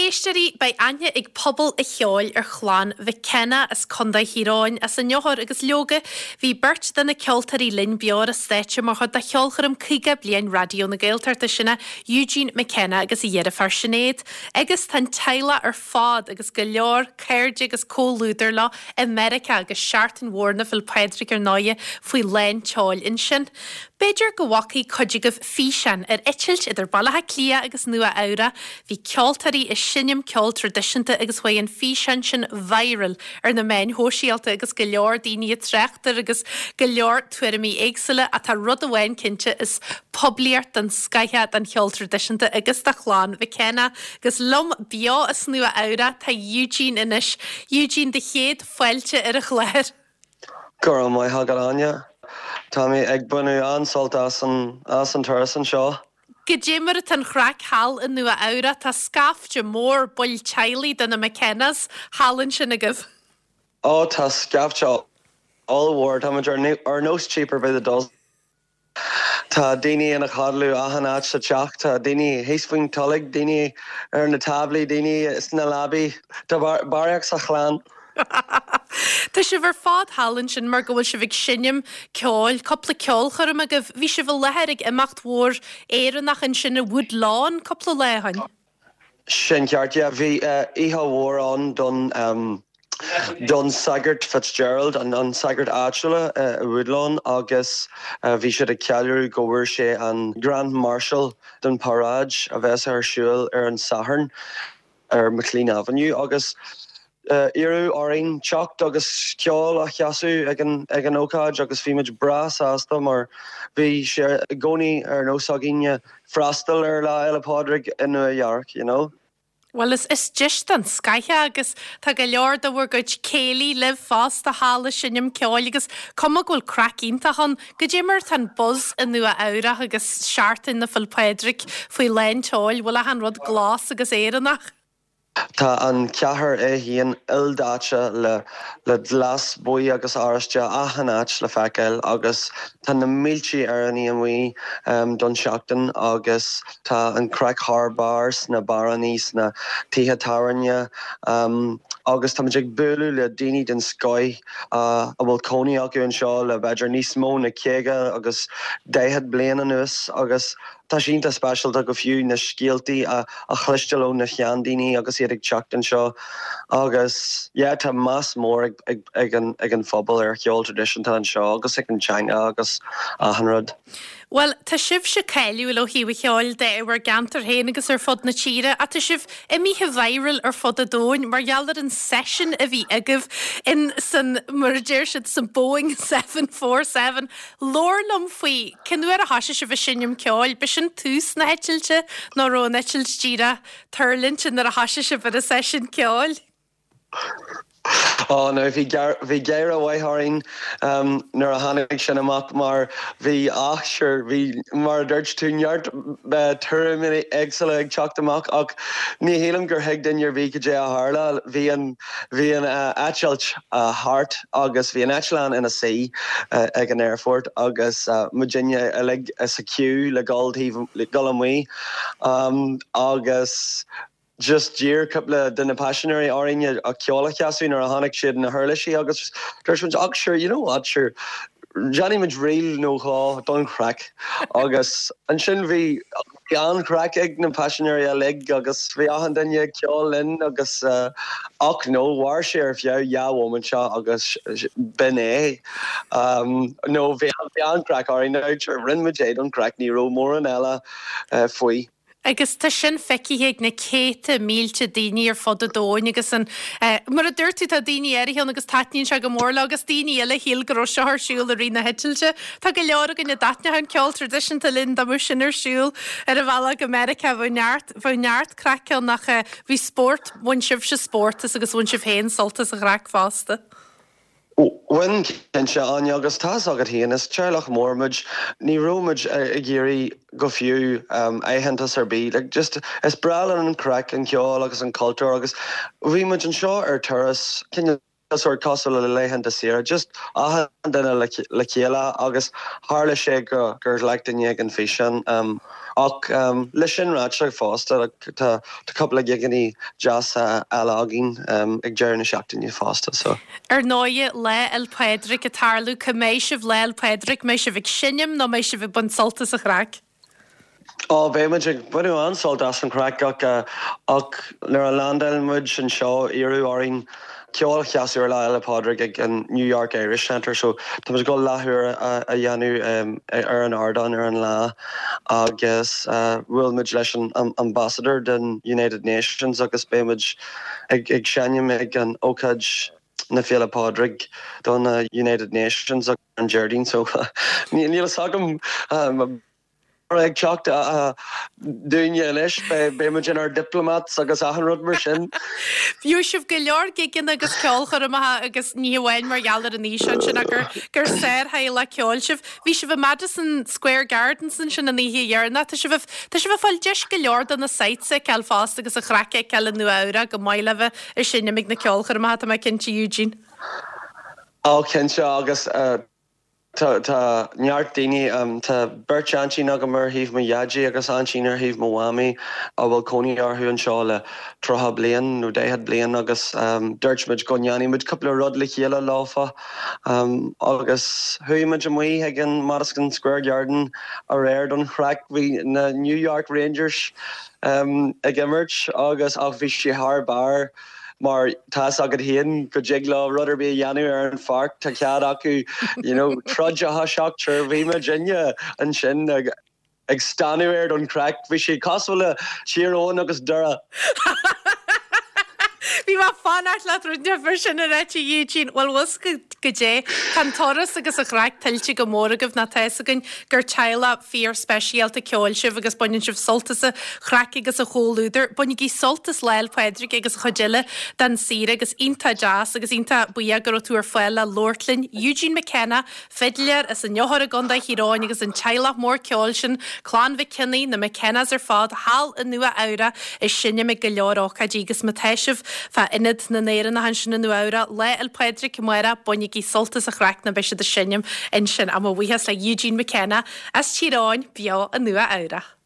éisteoirí, beidh aithne ag pobal an cheoil ar chlann McKenna as Contae Thír Eoghain as an Eochair agus leoga bhí beirt de na ceoltóirí linn beo ar an stáitse mar chuid de cheolchoirm 50 bliain Raidió na Gaeltachta, sin é Eugene McKenna agus a dheirfiúr Sinéad. Agus tá an teaghlach ar fad agus go leor cairde agus comhluadar leo i Meiriceá agus Seachtain mhór na Féile Pádraig ar ndóighe faoi lán tseoil ansin. B'fhéidir go bhfacaidh cuid agaibh físeán ar eitilt idir Baile Átha Cliath agus Nua Eabhrac. Bhí ceoltóirí ag seinm ceol traidisiúnta agus chuaigh an físeán sin viral ar na meáin shóisialta agus go leor daoine ag trácht air agus go leor tuairimí éagsúla ach tá rud amháin cinnte, is poiblíocht den scoth é don cheol traidisiúnta agus do chlann McKenna. Agus liom beo as Nua Eabhrac tá Eugene anois. Eugene, do chéad fáilte ar an chlár. Go raibh maith agat Áine. Tá mé ag baineadh an-sult as an as an turas anseo. Goidé mar atá an chraic thall i Nua Eabhrac? Tá scaifte mór baill teaghlaigh de na McKennas thall ansin agaibh. Ó tá scaifte ollmhór, táimid ar nós cheaper by the dozen. Tá daoine ina chodladh achan áit sa teach, tá daoine thíos faoin tolg, daoine ar na táblaí, daoine sna leabaí. Tá barraíocht sa chlann. Tá sibh ar fad thall ansin mar go bhfuil sibh ag seinm ceoil, cúpla ceolchoirm agaibh. Bhí sibh i láthair ag imeacht mhór Éireannach ansin i Woodlawn cúpla lá ó shin. Sin ceart, yeah. Bhí oíche mhór ann don don Sagart Fitzgerald, an sagart áitiúla i Woodlawn agus bhí siad ag ceiliúradh go bhfuair sé an Grand Marshal don paráid a bheas ar siúl ar an Satharn ar McLean Avenue agus Iarradh orainn teacht agus ceol a chasadh ag an ag an ócáid agus bhí muid breá sásta mar bhí sé i gcónaí ar nós againne freastal ar Lá Fhéile Pádraig i Nua Eabhrac, you know. Bhuel is is deis den scoth é agus tá go leor de bhur gcuid céilí libh fosta thall ag seinm ceoil agus cuma go bhfuil craic iontach ann. Goidé mar atá an buzz i Nua Eabhrac agus Seachtain na Féile Pádraig faoi lán tseoil, bhfuil achan rud glas agus Éireannach? Tá an chathair é féin ildaite le le glas, buí agus oráiste achan áit le feiceáil agus tá na mílte Éireannaigh amuigh don seachtain agus tá an craic thar barr sna beárannaí, sna tithe tábhairne agus tá muid ag bualadh le daoine den scoith a bhfuil cónaí acu anseo le b'fhéidir níos mó na 50 agus 40 bliain anuas agus Tá sé iontach speisialta go fiú na scéaltaí a chloisteáil ó na sheandaoine agus iad ag teacht anseo agus yeah tá meas mór ag ag an ag an phobal ar cheol traidisiúnta anseo agus ag an teanga agus achan rud. Bhuel, tá sibhse cáiliúil ó thaobh an cheoil de i bhur gceantar féin agus ar fud na tíre ach tá sibh imithe viral ar fud an domhain mar gheall ar an session a bhí agaibh in san, mar a deir siad, san Boeing 747. Labhair liom faoi, cén uair a thoisigh sibh ag seinm ceoil? B'shin tús na heitilte nó raibh an eitilt díreach tuirlinte nuair a thoisigh sibh ar an seisiún ceoil? Ó no, bhí bhí gáire mhaith orainn nuair a tháinig sin amach mar bhí ach sure bhí mar a dúirt tú neart tuairimí éagsúla ag teacht amach ach ní shílim gur thuig duine ar bith cad é a tharla. Bhí an Bhí an eitilt thart agus bhí an eitleán ina suí ag an aerfort agus muidinne uilig sa queue le dul taobh le dul amuigh agus just d'iarr cúpla de na paisinéirí orainne ceol a chasadh nuair a chonaic siad na huirlisí agus dúirt muid ach sure you know what sure déanfaidh muid ríl nó dhó don chraic agus ansin bhí Bhí an-chraic ag na paisinéirí uilig agus bhí achan duine ag ceol linn agus ach no, mhair sé ar feadh dhá bhomaite agus b'in é. No, bhí an-chraic orainn. Now, sure, rinne muid é don chraic, ní raibh mórán eile faoi. Agus tá sin feicthe ag na céadta mílte daoine ar fud an domhain agus an, mar a dúirt tú, tá daoine áirithe ann agus taitníonn sé go mór leo agus daoine eile a shíl go raibh seo ar siúl i rith na heitilte. Tá go leor againn a dtaitneodh an ceol traidisiúnta linn dá mbeadh sin ar siúl ar an bhealach go Meiriceá. Bheadh neart, bheadh neart craic ann ach bhí spórt, bhain sibhse spórt as agus bhain sibh féin sult as an chraic fosta. Bhain, cinnte, Áine, agus tá's agat féin, is teaghlach mór muid, ní raibh muid ag iarraidh go fiú aitheantas ar bith, like just, is breá linn an craic, an ceol agus an cultúr agus bhí muid anseo ar turas, cineál sórt cosúil le laethanta saoire, just achan duine le chéile agus tharla sé go gur ghlac duine éigin físeán. Ach le sin ráite fosta, tá cúpla gigeanna deasa eile againn ag deireadh na seachtaine fosta so. Ar ndóighe, Lá 'le Pádraig ag tarlú, cá mbeidh sibh Lá 'le Pádraig? Mbeidh sibh ag seinm nó mbeidh sibh ag baint sult as an chraic? Ó, beidh muid ag baint an-sult as an chraic ach ach nuair a landáil muid anseo iarradh orainn ceol a chasadh ar Lá Fhéile Pádraig ag an New York Irish Centre so tá muid ag dul leathuair a dhéanamh ar an ardán ar an lá agus bhuail muid leis an Ambassador den United Nations agus beidh muid ag seinm ag an ócáid na Féile Pádraig do na United Nations ar an Déardaoin so níl fhios agam ag teacht dúinne anois, beidh muid inár diplomats agus achan rud mar sin. Gheobhaidh sibh go leor gigeanna agus ceolchoirmeacha agus ní hamháin mar gheall ar an fhíseán sin ach gur gur sártheaghlach ceoil sibh. Bhí sibh i Madison Square Gardens ansin an oíche dheireanach. Tá sibh tá sibh ag fáil deis go leor de na sights a fheiceáil fosta agus an chraic a fheiceáil i Nua Eabhrac chomh maith le bheith ag seinm ag na ceolchoirmeacha, tá mé cinnte Eugene. Ó cinnte agus Tá neart daoine, tá beirt aintín agam ar thaobh mo dhaidí agus aintín ar thaobh mo mhamaí a bhfuil cónaí orthu anseo le 30 bliain nó 40 bliain agus dúirt muid go ndéanfaidh muid cúpla rud le chéile leofa agus chuaigh muid amuigh ag an Madison Square Garden aréir don chraic. Bhí na New York Rangers ag imirt agus ach bhí sé thar barr. Mar tá fhios agat féin go dtig leo rud ar bith a dhéanamh ar an pháirc, tá cead acu you know troid a thoiseacht, sure bhí muidinne ansin ag ag stánadh air don chraic, bhí sé cosúil le Tír Eoghain agus Doire. Bhí mé ag fanacht leat rud inteacht mar sin a ráit a Eugene. Bhuel bhfuil fhios agat goidé, tá an turas agus an chraic tuillte go mór agaibh nó tá fhios againn gur teaghlach fíor speisialta ceoil sibh agus baineann sibh sult as an chraic agus an chomhluadar. Bainigí sult as Lá 'le Pádraig agus an chuid eile den saoire agus iontach deas agus iontach buíoch go raibh tú ar fáil le labhairt linn. Eugene McKenna, fidléir as an Eochair i gContae Thír Eoghain agus an teaghlach mór ceoil sin, Clann Mhic Cionnaith, na McKennas ar fad, thall i Nua Eabhrac ag seinm ag go leor ócáidí agus má tá sibh fá Ionad na nÉireannach ansin i Nua Eabhrac, Lá 'le Pádraig amárach, bainigí sult as an chraic nó beidh siad ag seinm ansin. Mo bhuíochas le Eugene McKenna as Tír Eoghain, beo i Nua Eabhrac.